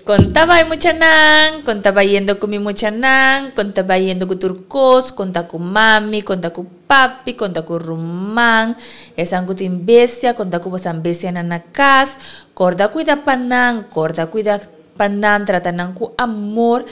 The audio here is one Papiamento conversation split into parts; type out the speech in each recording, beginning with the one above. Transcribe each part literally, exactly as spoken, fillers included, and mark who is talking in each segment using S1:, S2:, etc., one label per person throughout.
S1: Kon ta bai muchanan, kon ta bayendo ku mi muchanan, kon ta bayendo ku tur kos, kon ta ku mami, kon ta ku papi, kon ta ku ruman, esnan ku tin bestia, kon ta ku boso bestianan na kas, kòrda kuida pa nan, kòrda kuida pa nan, trata nan ku amor,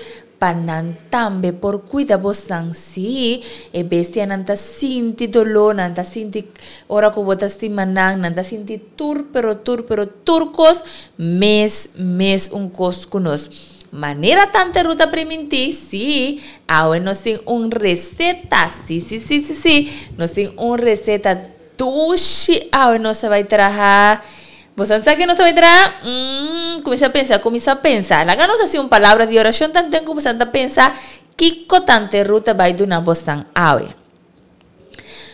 S1: pa nan tambe por kuida boso. Sí, e bestianan ta sinti doló, nan ta sinti ora ku bo ta stima nan, nan ta sinti tur, pero tur, pero tur kos, mes, mes un kos ku nos. Manera Tante Ruth a primintí, sí, awe nos tin un reseta, sí, sí, sí, sí, sí, nos tin un reseta dushi, awe nos ta bai traha. Bo sa kiko nos ta bai traha? Mm, kuminsá pensa, kuminsá pensa. Laga nos hasi un palabra di orashon, tantu ku bo ta pensa, kiko Tante Ruth ta bai duna boso awe.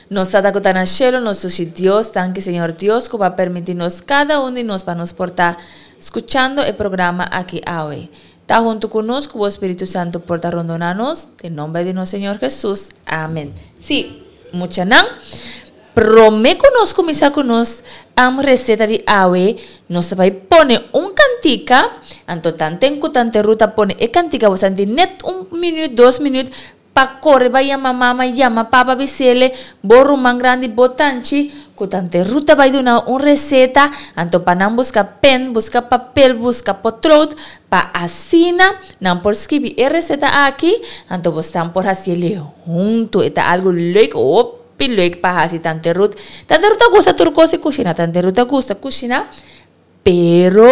S1: Nos Tata ku ta na shelu, nos Dios, danki Señor Dios, ku bo a permití nos kada un di nos pa nos por ta skuchando e programa aki awe. Ta huntu ku nos, ku Spiritu Santu por ta rondoná nos, den nòmber di nos Señor Jesus. Amèn. Sí, muchanan. Promé ku nos kuminsá ku nos am reseta di awe, nos ta bai pone un kantika, anto tanten ku Tante Ruth ta pone e kantika, bo tin net un minüt, dos minüt, pa kore bai yama mama, yama papa, bis'é, bo ruman grandi, bo tanchi, ku Tante Ruth ta bai duna un reseta, anto pa nan buska pèn, buska papel, buska potlood, pa asina, nan por skirbi e reseta aki, anto bo por hasi huntu, e ta algu leuk, hopi leuk pa hasi Tante Ruth. Tante Ruth gusta tur kos di kushina, Tante Ruth gusta kushina, pero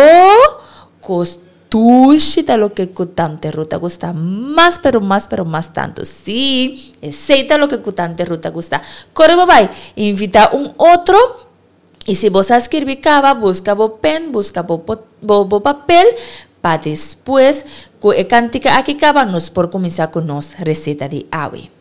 S1: kos dushi ta loke ku Tante Ruth gusta mas, pero mas, pero mas tantu. Sí, esei ta loke ku Tante Ruth gusta. Kore bai, invitá un otro. I si bo a skirbi kaba, buska bo pèn, buska bo, bo, bo papel, pa despues, ku e kantika aki kaba, nos por kuminsá ku nos reseta di awe.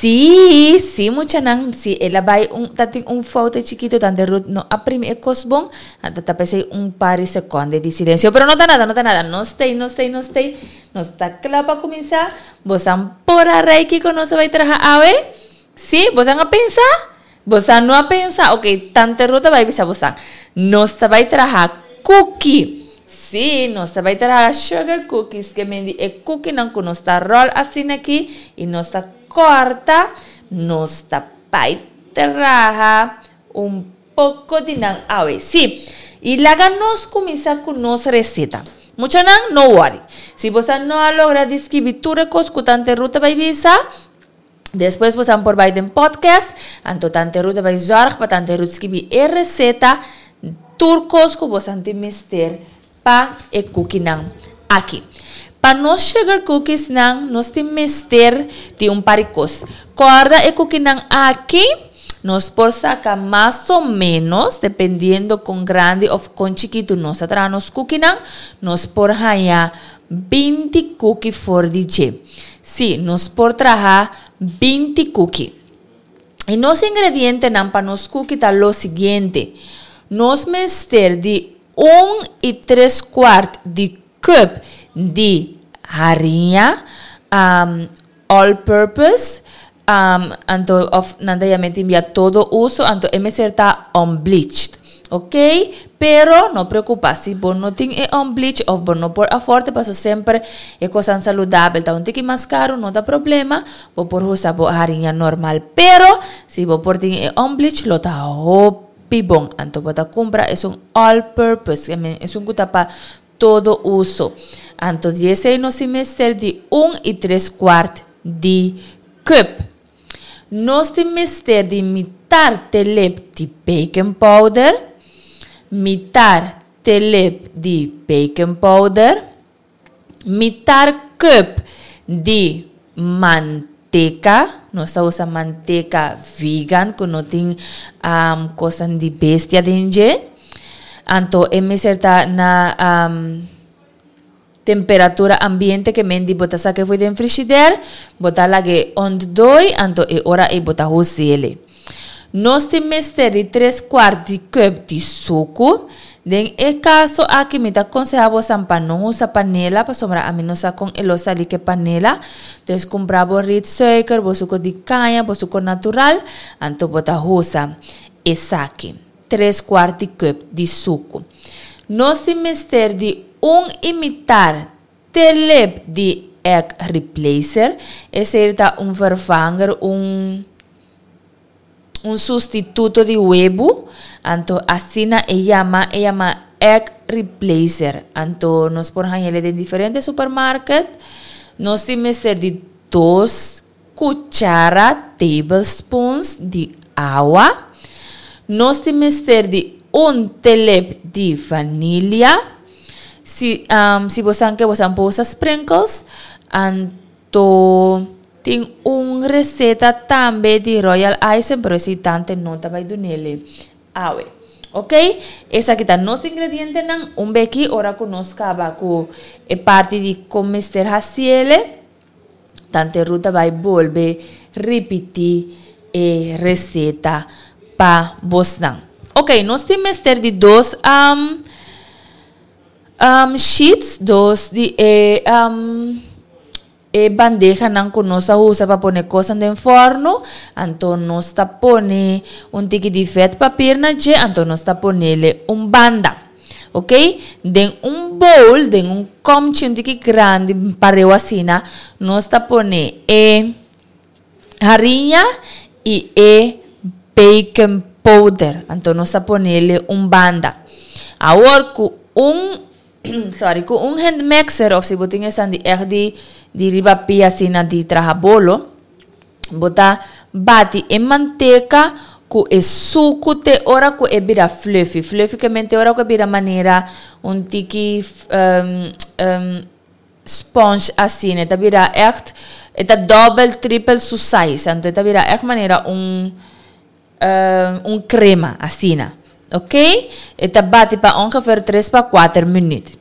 S1: Sí, sí, muchanan, sí, el a bai un, tatin un foute chikito, Tante Ruth no a primi e kos bon, anto ta p'esei un par di sekonde di silensio, pero no ta nada, no ta nada, nos t'ei, nos t'ei, nos t'ei, nos ta kla pa kuminsá. Bosan por a rei kiko nos a bai traha awe? Sí, bosan a pensa? Bosan no a pensa? Ok, Tante Ruth a bai bisa bosan, nos ta bai traha kuki. Sí, nos ta bai traha sugar cookies, ke men di e kukinan ku nos ta ròl asina aki i nos ta kòrta, nos ta bai traha un poko di nan awe. Sí, i laga nos kuminsá ku nos reseta. Muchanan, no wòri. Si boso no a logra di skibi tur e kos ku Tante Ruth ta bai bisa, despues boso por bai den podcast, anto Tante Ruth ta bai zòrg pa Tante Ruth skibi e reseta, tur kos ku boso tin mester pa e kukinan aki. Pa nos sugar cookies nan, nos tin mester di un par di kos. Kòrda, e kukinan aki, nos por saka mas o ménos, dependiendo kon grandi òf kon chikitu nos ta traha nos kukinan, nos por haña binti kuki for di dje. Sí, nos por traha binti kuki. I nos ingredientenan pa nos kuki ta lo siguiente. Nos mester di un i tres kwart di cup di hariña um, all purpose, um, anto of nan ta yam'é tin bia todo uso, anto e mester ta unbleached. Ok? Pero no preokupá si bo no tin e unbleached òf bo no por afford, paso semper e kosnan saludabel ta un tiki mas karu, no ta problema, bo por usa bo hariña normal. Pero si bo por tin e unbleached, lo ta hopi bon. Anto bo ta kumpra esun all purpose, esun ku ta pa todo uso. Anto di esei nos mester di un i tres kwart di cup. Nos tin mester di mitar telep di baking powder, mitar telep di baking powder, mitar cup di manteka, nos ta usa manteka vegan ku no tin um, kos di bestia den dje. Anto e mester ta na um, temperatura ambiente, ke men di bo ta sak'é for di frigidaire, bo ta lag'é ontdooi, anto e ora ei bo ta us'é. Nos tin mester di tres kwart di cup di suku. Den e kaso aki mi ta konsehá bo pa no usa panela, pasobra ami no sa kon e lo sali ku panela. Dus kumpra bo rietsuiker, bo suku di kaña, bo suku natural, anto bo ta usa esaki. Tres kwart di cup di suku. Nos tin mester di un i mitar telep di egg replacer. Esei ta un vervanger, un un sustituto di webu. Anto asina e yama, e yama egg replacer. Anto nos por hañ'é den diferente supermarket. Nos tin mester di dos kuchara, tablespoons di awa. Nos tin mester di un telep di vanilia. Si, um, si bo ke, bo por usa sprinkles. Anto tin un reseta tambe di royal icing, pero esei Tante no ta bai dun'é awe. Ok? Esaki ta nos ingredientenan. Un beki ora ku nos kaba ku e parti di kon mester hasié, Tante Ruth ta bai bolbe ripití e reseta pa bosnan. Ok, nos tin mester di dos um, um, sheets, dos di e, um, e bandejanan ku nos ta usa pa pone kos den forno, anto nos ta pone un tiki di vetpapier na dje, anto nos ta pon'é un banda. Ok? Den un bowl, den un komchi un tiki grandi, pareu asina, nos ta pone e hariña i e baking powder. Anto nos ta pon'é un banda. Awor ku un sorry, ku un hand mixer òf si bo tin di echt di di riba pia asina di traha bolo, bo ta bati e manteka ku e suku te ora ku e bira fluffy. Fluffy ke men te ora ku e bira manera un tiki um, um, sponge asina, ta bira echt, ta double, triple su size. Anto ta bira echt manera un um, un crema asina. Ok? E ta bati pa ongeveer tres pa kuater minuut.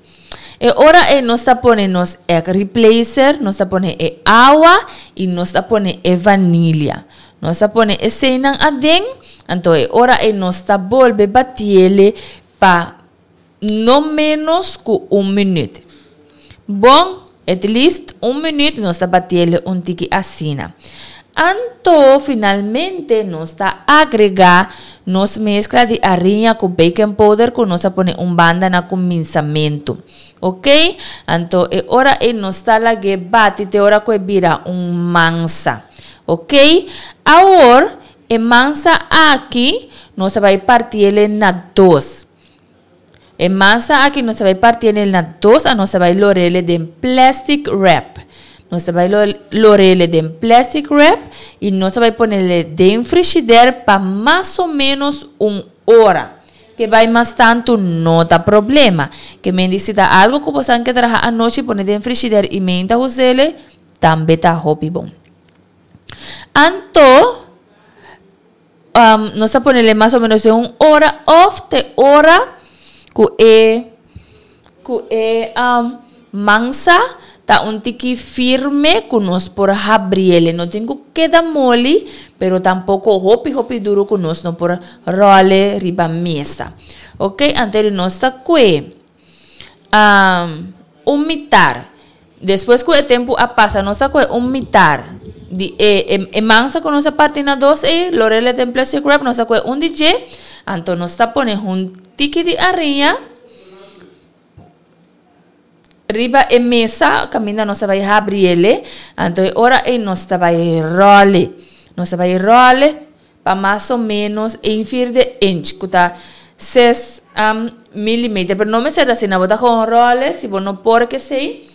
S1: E ora ei nos ta pone nos egg replacer, nos ta pone e awa i nos ta pone e vanilia. Nos ta pone eseinan aden, anto e ora ei nos ta bolbe batiele pa no menos ku un minuut. Bon, at least un minuut nos ta batiele un tiki asina. Anto finalmente nos ta agregá nos meskla di ariña ku baking powder ku nos a pone un banda na kuminsamentu. Ok, anto e ora ei nos ta lag'é bati te ora ku e bira un mansa. Ok, awor e mansa aki nos ta bai partiele na dos. E mansa aki nos ta bai partiele na dos a nos ta bai lorele den plastic wrap. Nos ta bai lorele den plastic wrap y nos ta bai ponele den frishider pa mas o menos un ora. Ke bai mas tantu no ta problema. Ke men di si ta algo ku bosan ke traha anochi pone den frishider y meinta husele tambe ta hopi bon. Anto nos ta ponele mas o menos den un ora of te ora ku e ku e mansa ta un tiki firme ku nos por habriel. E no tin ku keda moli, pero tampoko hopi hopi duru ku nos no por ròl riba mesa. Ok, anto nos ta kue un mitar. Despues ku e tempu a pasa nos ta kue un mitar di e e mansa ku nos a parti na dos ei, lorele den plastic wrap, nos ta kue un di dje, anto nos ta pone un tiki di ariña riba e mesa kaminda nos ta bai habri ele, anto e ora ei nos ta bai ròl e. Nos ta bai ròl e pa mas o ménos ein vierde inch, ku ta ses milimeter. Pero no mester ta asina, bo ta gewoon ròl e, si bo no por kesei,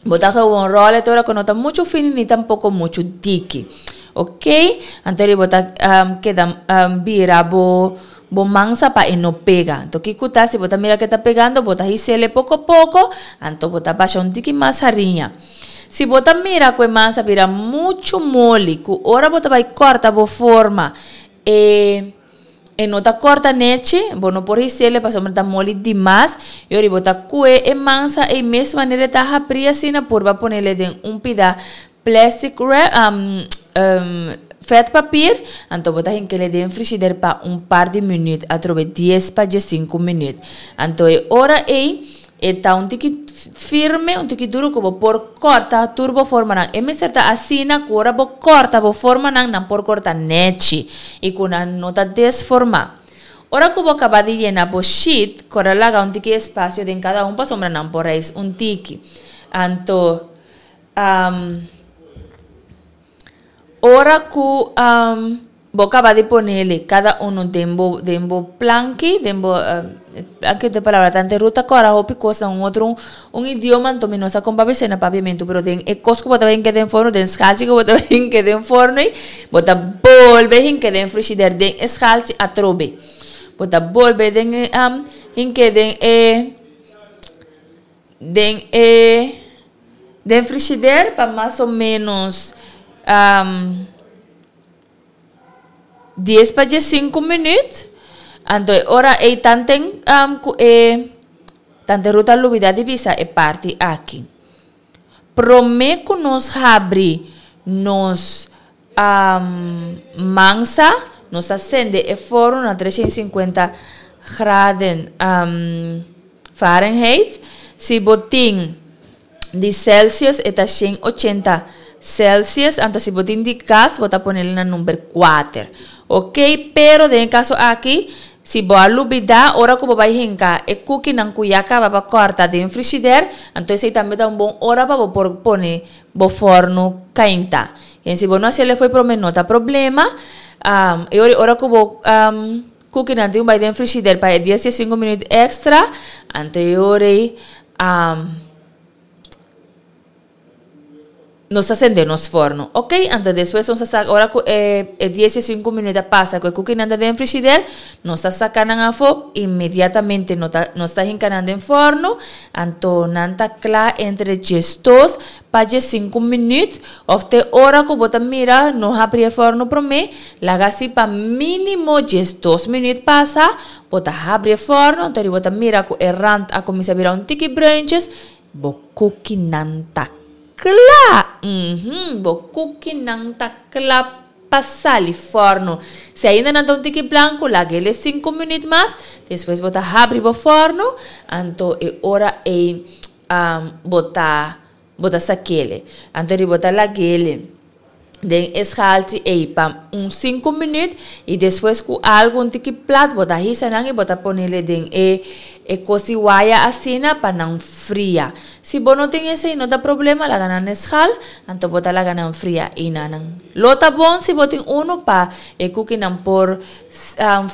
S1: bo ta gewoon ròl e te ora ku no ta muchu fini ni tampoko muchu diki. Ok, anto bo ta keda bira bo bo mansa pa e no pega. Anto kiko ta si bo ta mira ke ta pegando bo ta hisele poko poko, anto bo ta basha un tiki mas hariña. Si bo ta mira ku e mansa bira muchu moli ku ora bo ta bai kòrta bo forma e e no ta kòrta nechi, bo no por hisele pasobra ta moli dimas, i ora bo ta kue e mansa ei mes manera e ta habri asina purba ponele den un pida plastic wrap vetpapier, anto bo ta hinkele den frishider pa un par di minuut, atrobe dies pa diesinku minuut. Anto e ora ei e ta un tiki firme, un tiki duru ku bo por kòrta tur bo formanan. E mester ta asina ku ora bo kòrta bo formanan, nan por kòrta nèchi i ku nan no ta desformá. Ora ku bo kaba di yena bo sheet, kòrda laga un tiki espasio den kada un pasobra nan por reis un tiki. Anto ora ku bo kaba di ponele kada uno den bo den bo planki, den bo planki ta e palabra tante Ruth ta kòrda hopi kos na un otro un idioma anto mi no sa kon papia esei na papiamentu pero den e kos ku bo ta bin keda den forno den schalchi ku bo ta bin keda den forno ei bo ta bolbe hinka den frishider den e schalchi atrobe bo ta bolbe den e hinka den e den e den frishider pa mas o menos dies pa diesinku minuut anto e ora ei tanten ku e tante Ruth a lubida di bisa e parti aki prome ku nos habri nos mansa nos ta sende e forno na trescientos y cincuenta graden Fahrenheit si bo tin di Celsius e ta shen ochenta Celsius anto si bo tin di gas bo ta ponel na number kuater ok pero den e kaso aki si bo a lubida ora ku bo bai hinka e kukinan ku ya kaba pa kòrta den frishider anto esei tambe ta un bon ora pa bo por pone bo fòrnu kainta en si bo no hasiel e fo'i prome no ta problema e ora ora ku bo Kukinan tin un bai den frishider pa e dies i sinku minuut extra, anto e ora ei Nos ta sende nos forno, ok? Anto despues nos ta saka, ora ku e e dies i sinku minuut a pasa ku e kukinan ta den frishider, nos ta saka nan afó, inmediatamente no ta nos ta hinka nan den forno, anto nan ta kla entre diesdos pa diesinku minuut, òf te ora ku bo ta mira no habri e forno promé, laga si pa mínimo diesdos minuut pasa, bo ta habri e forno, anto bo ta mira ku e rand a kuminsá bira un tiki bruintjes, bo kukinan ta kla! Uhum, bo kukinan ta kla pa sali fòrnu. Si ainda nan ta un tiki blanku, lag'é sinku minüt mas, despues bo ta habri bo fòrnu, anto e ora ei bo ta bo ta sak'é. Anto bo ta lag'é den e schaaltje ei pa un sinku minuut i despues ku algu un tiki plat bo ta hisa nan i bo ta ponele den e e kos di waya asina pa nan fria. Si bo no tin esei no ta problema, laga nan na schaal, anto bo ta laga nan fria i nan nan lo ta bon si bo tin unu pa e kukinan por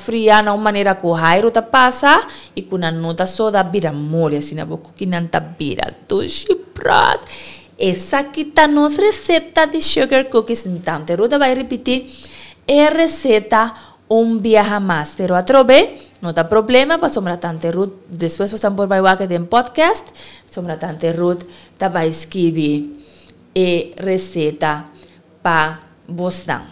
S1: fria na un manera ku hairu ta pasa i ku nan no ta soda bira moli, asina bo kukinan ta bira dushi pros. Esaki ta nos receta di sugar cookies. Tante Ruth a bai ripiti e receta un biaha mas. Pero atrobe, no ta problema pasobra Tante Ruth despues boso por bai wak den podcast, pasobra Tante Ruth ta bai skibi e receta pa bosnan.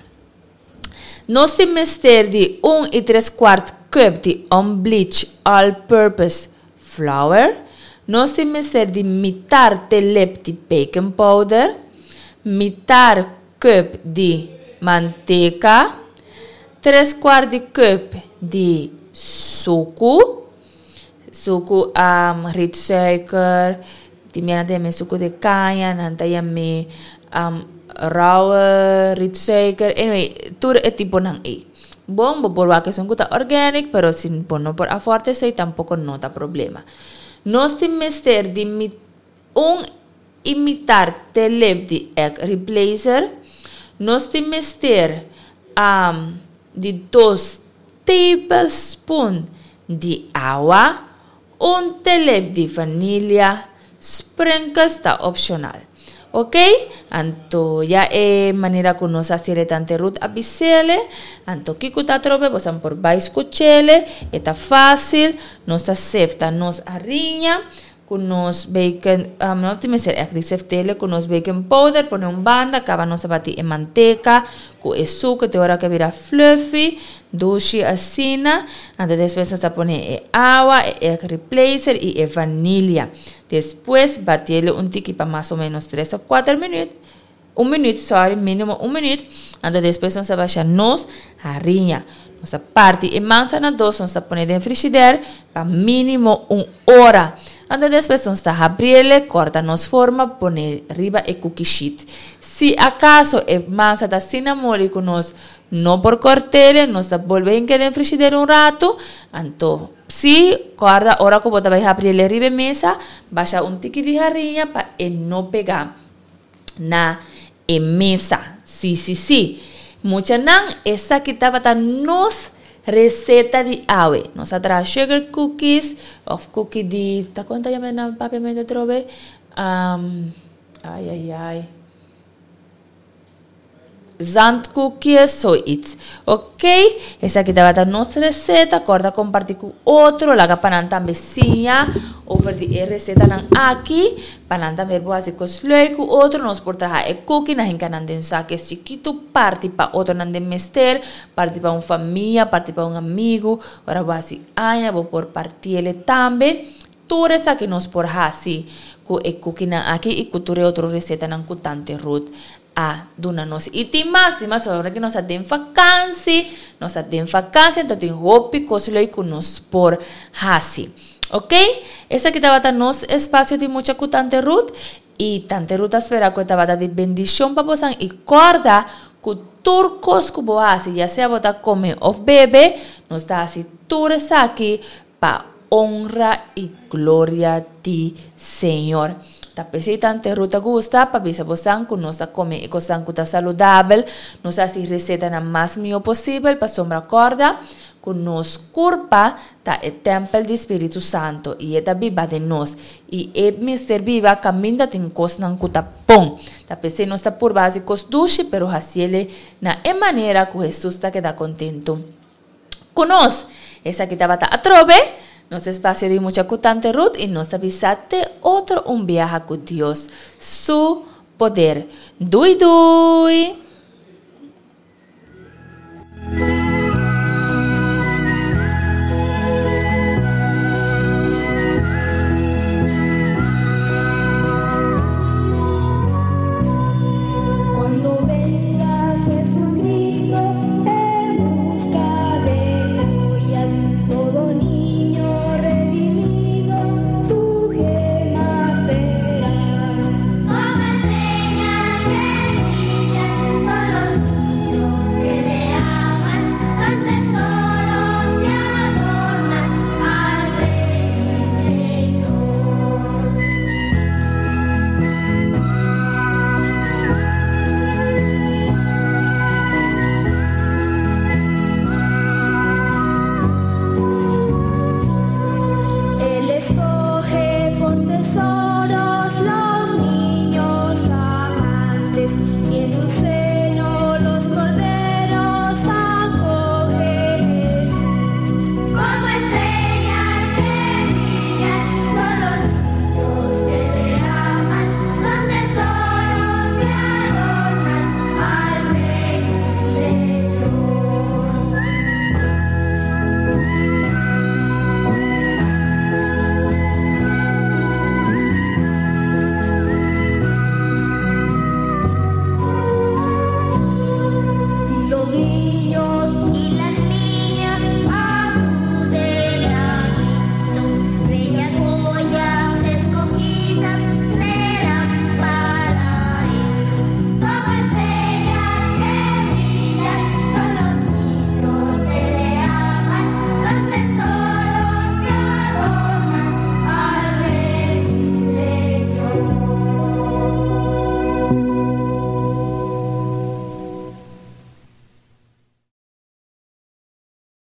S1: Nos tin mester di un i tres kwart cup di unbleached all-purpose flour. Nos tin mester di mitar telep di baking powder, mitar cup di manteca, tres kwart di cup di suku, suku um, rietsuiker, tin nan ta yam'é suku di caña, nan ta yam'é um, rauwe rietsuiker, anyway, tur e tiponan ei. Bon, bo por wak esun ku ta organic, pero si bo no por afford esei tampoco no ta problema. Nos tin mester di un i mitar telep di egg replacer. Nos tin mester um, di dos tablespoon di awa, un telep di vanilla, sprinkles ta optional. Ok? Anto ya e manera ku nos a hasié Tante Ruth a bis'é, anto kiko ta atrobe, bo por bai skuch'é, e ta fásil, nos ta sefta nos hariña ku nos baking, um, no tin mester echt di seft'é, ku nos baking powder, pone un banda, kaba nos a bati e manteca, ku e suku te ora ku bira fluffy, dushi asina, anto despues nos ta pone e awa, e egg replacer i e vanilla. Despues bati'é un tiki pa mas o ménos tres òf kuater minüt, un minüt, sorry, mínimo un minüt, anto despues nos ta basha nos hariña. Nos ta parti e mansa na dos, nos ta pone den frigidaire pa mínimo un ora. Anto despues nos ta habri'é, kòrta nos forma, pone riba e cookie sheet. Si akaso e mansa ta asina moli ku nos no por kòrt'é, nos ta bolbe hink'é den frigidaire un ratu, anto si kòrda ora ku bo ta bai habri'é riba e mesa, basha un tiki di hariña pa e no pega na e mesa. Si, si, si. Muchanan, esaki tabata nos receta di awe. Nos a traha sugar cookies òf cookie di, ta kon ta yama na papiamentu atrobe? Um, ai ai ai. Zandkoekjes, zoiets. Ok, esaki tabata nos receta. Kòrda kompartí ku otro. Laga pa nan tambe siña over di e recetanan aki. Pa nan tambe por hasi kos leuk ku otro. Nos por traha e cookie nan hinka nan den sake chikitu, parti pa otronan den mester, parti pa un famia, parti pa un amigu. Ora bo hasi aña, bo por parti'é tambe. Tur esaki nos por hasi ku e cookienan aki i ku tur e otro recetanan ku Tante Ruth a duna nos. I tin mas, tin mas ora ku nos ta den vakansi, nos ta den vakansi, anto tin hopi kos leuk ku nos por hasi. Ok? Esaki tabata nos espasio di mucha ku Tante Ruth i Tante Ruth ta spera ku e tabata di bendishon pa boso i kòrda ku tur kos ku bo hasi, ya sea bo ta kome òf bebe, nos ta hasi tur esaki pa honra i gloria di Señor. Ta p'esei Tante Ruth ta gusta pa bisa boso ku nos ta kome e kosnan ku ta saludabel, nos ta hasi resetanan mas mihó posibel pasobra kòrda. Ku nos kurpa ta e tèmpel di Spiritu Santu i e ta biba den nos i e mester biba kaminda tin kosnan ku ta bon. Ta p'esei nos ta purba hasi kos dushi pero hasiele na e manera ku Hesus ta keda kontentu ku nos. Esaki tabata atrobe nos espasio di Mucha ku Tante Ruth i nos ta bisa te otro un biaha ku Dios su poder. Dui dui!